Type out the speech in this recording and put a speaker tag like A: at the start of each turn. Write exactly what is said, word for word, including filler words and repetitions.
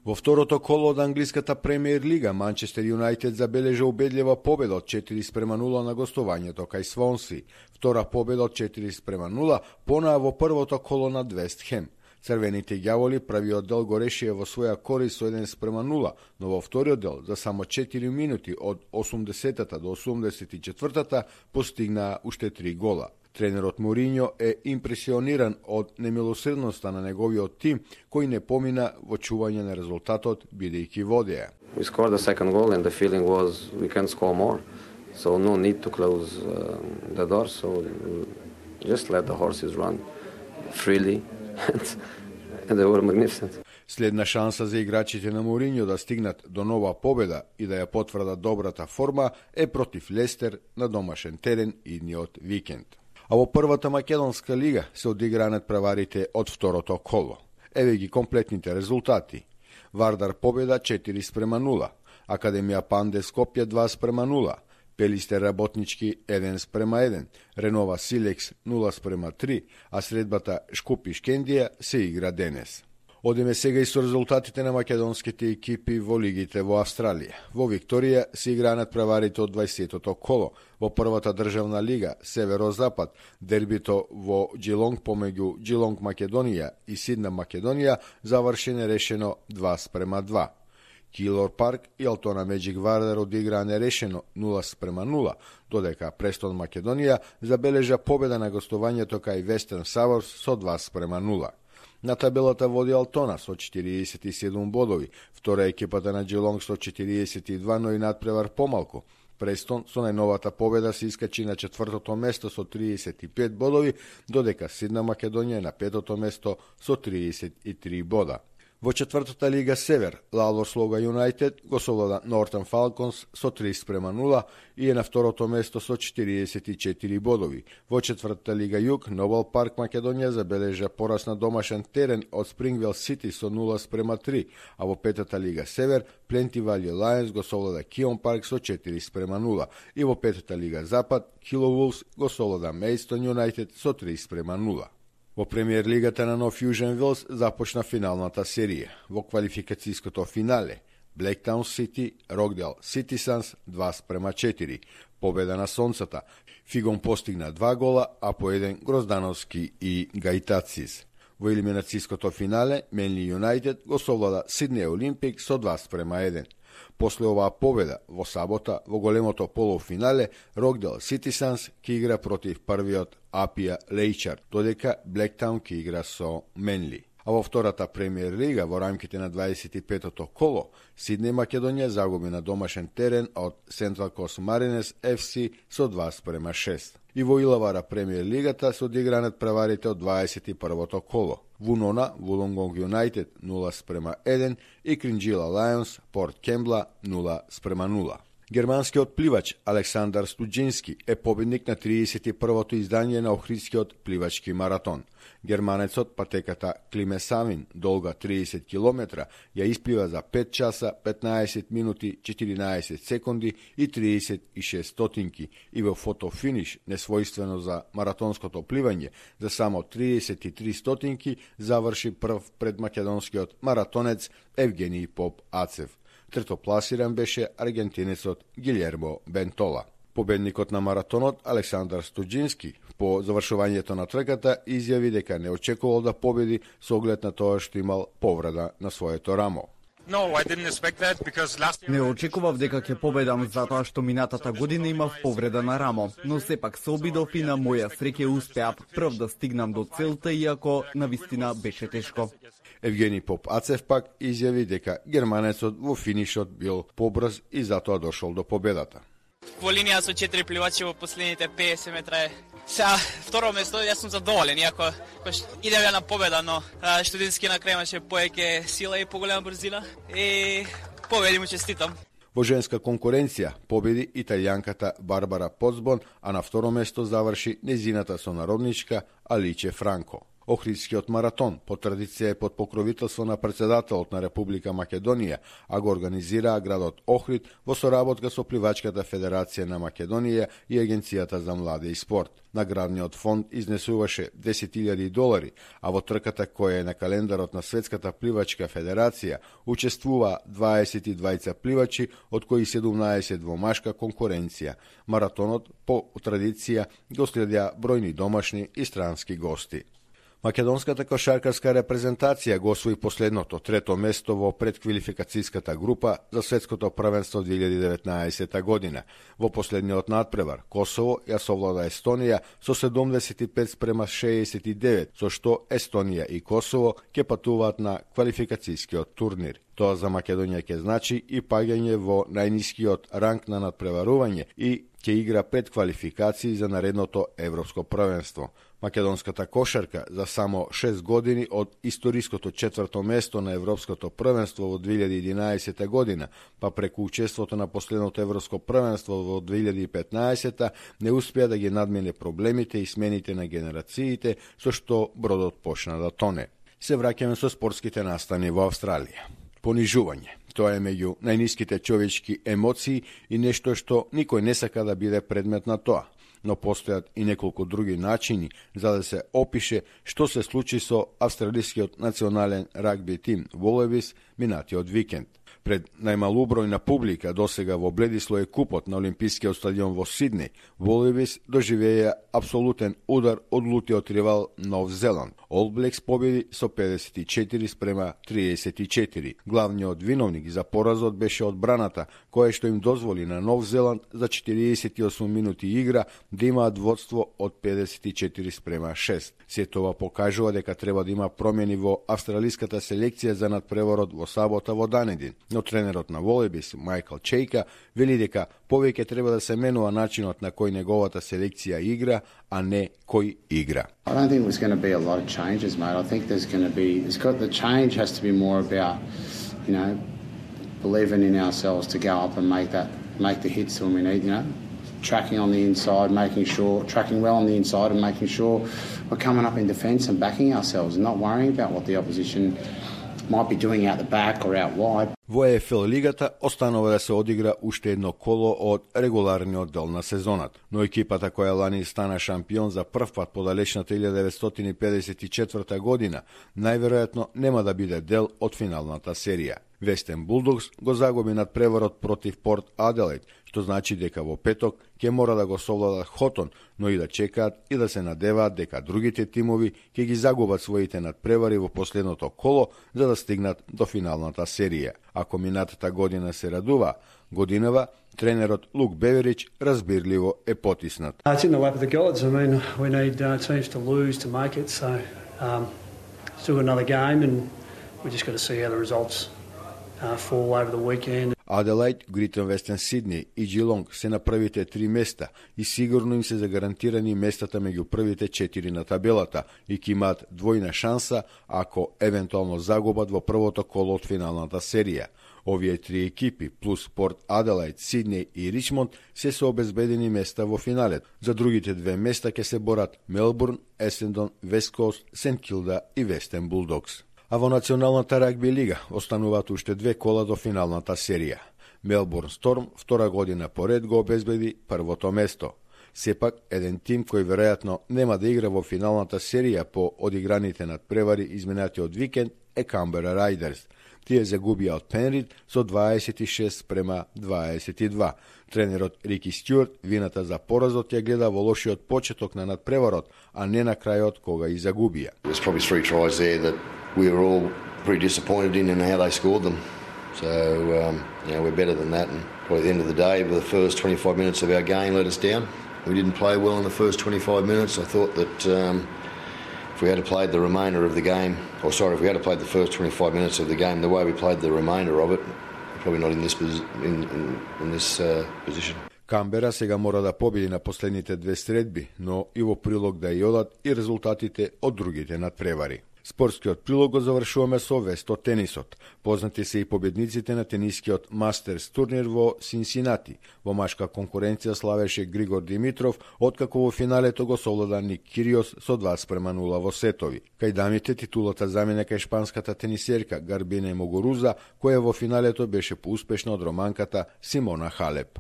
A: Во второто коло од англиската премиер лига, Манчестер Юнајтед забележа убедлива победа од четири спрема нула на гостувањето кај Свонси. Втора победа од четири спрема нула понаа во првото коло над Вест Хем. Црвените ѓаволи првиот дел го решија во своја корист со еден спрема нула, но во вториот дел за само четири минути од осумдесетата до осумдесет и четвртата постигнаа уште три гола. Тренерот Мориньо е импресиониран од немилосредноста на неговиот тим, кој не помина во чување на резултатот бидејќи водеа.
B: We scored the second goal and the feeling was we can score more. So no need to close uh, the door, so just let the horses run freely and they were magnificent.
A: Следна шанса за играчите на Мориньо да стигнат до нова победа и да ја потврдат добрата форма е против Лестер на домашен терен идниот викенд. А во првата македонска лига се одигранат преварите од второто коло. Еве ги комплетните резултати. Вардар победа четири спрема нула, Академија Панде Скопје два спрема нула, Пелистер Работнички еден спрема еден, Ренова Силекс нула спрема три, а средбата Шкупи Шкендија се игра денес. Одиме сега и со резултатите на македонските екипи во лигите во Австралија. Во Викторија се играат преварите од дваесеттото коло. Во првата државна лига Северо-Запад дербито во Джилонг помеѓу Джилонг Македонија и Сидна Македонија заврши нерешено два спрема два. Килор Парк и Алтона Меджик Вардар одиграа нерешено нула спрема нула, додека Престон Македонија забележа победа на гостувањето кај Вестерн Саборс со два спрема нула. На табелата води Алтона со четириесет и седум бодови, втора екипата на Джилонг со четириесет и два, но и надпревар помалку. Престон со најновата победа се искачи на четвртото место со триесет и пет бодови, додека Сидна Македонија е на петото место со триесет и три бода. Во четвртата лига Север, Лалор Слога Юнајтед го совлада Нортан Фалконс со три спрема нула и е на второто место со четириесет и четири бодови. Во четвртата лига Југ, Нобел Парк Македонија забележа пораз на домашен терен од Спрингвел Сити со нула спрема три, а во петата лига Север, Пленти Вали Лајонс го совлада Кион Парк со четири спрема нула и во петата лига Запад, Кило Вулфс го совлада Мејстон Юнајтед со три спрема нула. Во премиер лигата на Нов Јужен Велс започна финалната серија. Во квалификацијското финале Блектаун Сити, Рокдел Ситисанс два спрема четири. Победа на Сонцата. Фигон постигна два гола, а по еден Гроздановски и Гајтацис. Во елиминацијското финале Менли Юнајтед го совлада Сиднеј Олимпик со два спрема еден. После оваа победа, во сабота, во големото полуфинале, Рокдел Ситисанс ке игра против првиот Апија Лејчар, додека Блектаун ке игра со Менли. А во втората премиер лига, во рамките на дваесет и петото коло, Сиднеј Македонија загуби на домашен терен од Централ Кост Маринес Еф Си со два спрема шест. И во Илавара премиер лигата се одигранат преварите од дваесет и првото коло. Вунона, Вулонгонг Юнајтед нула спрема еден и Кринџила Лајонс, Порт Кембла нула спрема нула. Германскиот пливач Александар Стуџински е победник на триесет и првото издание на Охридскиот пливачки маратон. Германецот патеката Климе Савин, долга триесет километра, ја исплива за пет часа, петнаесет минути, четиринаесет секунди и триесет и шест стотинки и во фотофиниш, несвојствено за маратонското пливање, за само триесет и три стотинки заврши прв пред македонскиот маратонец Евгений Поп Ацев. Третопласиран беше аргентинецот Гилјермо Бентола. Победникот на маратонот Александар Стуџински по завршувањето на трката изјави дека не очекувал да победи со оглед на тоа што имал повреда на своето рамо.
C: No, I didn't expect that because last year...
D: Не очекував дека ќе победам затоа што минатата година имав повреда на рамо, но сепак се обидов и на моја среќа успеав прв да стигнам до целта, иако навистина беше тешко.
A: Евгений Поп Ацев пак изјави дека германецот во финишот бил побрз и затоа дошол до победата.
E: Во линија со четири пливачи во последните педесет метра е. Сега, второ место, јас сум задоволен, иако идеме на победа, но Студински на крај имаше повеќе сила и поголема брзина и победи му честитам.
A: Во женска конкуренција победи италијанката Барбара Поцбон, а на второ место заврши незината сонародничка Аличе Франко. Охридскиот маратон по традиција е под покровителство на председателот на Република Македонија, а го организираа градот Охрид во соработка со Пливачката федерација на Македонија и Агенцијата за млади и спорт. Наградниот фонд изнесуваше десет илјади долари, а во трката која е на календарот на Светската пливачка федерација учествува дваесет и двајца пливачи, од кои седумнаесет во машка конкуренција. Маратонот по традиција го следеа бројни домашни и странски гости. Македонската кошаркарска репрезентација го освои последното трето место во предквалификацијската група за светското првенство две илјади и деветнаесета година. Во последниот надпревар Косово ја совлада Естонија со седумдесет и пет спрема шеесет и девет, со што Естонија и Косово ќе патуваат на квалификацијскиот турнир. Тоа за Македонија ќе значи и паѓање во најнискиот ранг на надпреварување и ќе игра пред квалификации за наредното европско првенство. Македонската кошарка за само шест години од историското четврто место на европското првенство во две илјади и единаесета година, па преку учеството на последното европско првенство во две илјади и петнаесета не успеа да ги надмине проблемите и смените на генерациите, со што бродот почна да тоне. Се враќаме со спортските настани во Австралија. Понижување. Тоа е меѓу најниските човечки емоции и нешто што никој не сака да биде предмет на тоа. Но постојат и неколку други начини за да се опише што се случи со австралискиот национален рагби тим Wallabies минатиот викенд. Пред најмалубројна публика досега во Бледисло е купот на Олимпискиот стадион во Сиднеј, Wallabies доживеја абсолютен удар од лутиот ривал Нов Зеланд. All Blacks победи со педесет и четири спрема триесет и четири. Главниот виновник за поразот беше одбраната, која што им дозволи на Нов Зеланд за четириесет и осум минути игра да имаат водство од педесет и четири спрема шест. Се тоа покажува дека треба да има промени во австралиската селекција за надпреварот во сабота во Данедин. Но тренерот на Wallabies, Майкл Чейка, вели дека повеќе треба да се менува начинот на кој неговата селекција игра, а не кој игра.
F: I don't think there's going to be a lot of changes, mate. I think there's going to be, it's got, the change has to be more about, you know, believing in ourselves to go up and make that, make the hits when we need, you know, tracking on the inside, making sure, tracking well on the inside and making sure we're coming up in defence and backing ourselves and not worrying about what the opposition might be doing out the back or out wide.
A: Во Е Еф Ел лигата останува да се одигра уште едно коло од регуларниот дел на сезонат, но екипата која лани стана шампион за прв пат по далечната илјада деветстотини педесет и четврта година, најверојатно нема да биде дел од финалната серија. Вестен Булдогс го загуби надпреварот против Порт Аделаид, што значи дека во петок ќе мора да го совладат Хотон, но и да чекаат и да се надеваат дека другите тимови ќе ги загубат своите надпревари во последното коло за да стигнат до финалната серија. Ако минатата година се радува, годинава тренерот Лук Беверич разбирливо е потиснат.
G: It's in the lap of the gods. I mean, we need uh, teams to lose to make it, so um, still got another game and we just got to see how the results uh, fall over the weekend.
A: Аделаид, Грейтон Вестен Сиднеј и Джилонг се на првите три места и сигурно им се загарантирани местата меѓу првите четири на табелата и ќе имаат двојна шанса ако евентуално загубат во првото коло од финалната серија. Овие три екипи плюс Порт Аделаид, Сиднеј и Ричмонд се се обезбедени места во финалет. За другите две места ќе се борат Мелбурн, Есендон, Вест Кост, Сент Килда и Вестен Булдогс. А во Националната рагби лига остануваат уште две кола до финалната серија. Мелбурн Сторм втора година поред го обезбеди првото место. Сепак, еден тим кој веројатно нема да игра во финалната серија по одиграните надпревари изминатиот викенд е Камбера Рајдерс. Тие загубија од Пенрид со дваесет и шест спрема дваесет и два. Тренерот Рики Стюарт вината за поразот ја гледа во лошиот почеток на надпреварот, а не на крајот кога и загубија.
H: There's probably three tries there that we were all pretty disappointed in and how they scored them. So, um, you know, we're better than that. And probably at the end of the day, the first twenty-five minutes of our game let us down. We didn't play well in the first twenty-five minutes. I thought that um, if we had played the remainder of the game, or sorry, if we had played the first twenty-five minutes of the game the way we played the remainder of it, we're probably not in this, in, in, in this uh, position.
A: Камбера сега мора да победи на последните две средби, но и во прилог да ја одат и резултатите од другите надпревари. Спортскиот прилог го завршуваме со вест од тенисот. Познати се и победниците на тенискиот Мастерс турнир во Синсинати. Во машка конкуренција славеше Григор Димитров, откако во финалето го совлада Ник Кириос со два спрема нула во сетови. Кај дамите титулата замине кај шпанската тенисерка Гарбине Могоруза, која во финалето беше поуспешна од романката Симона Халеп.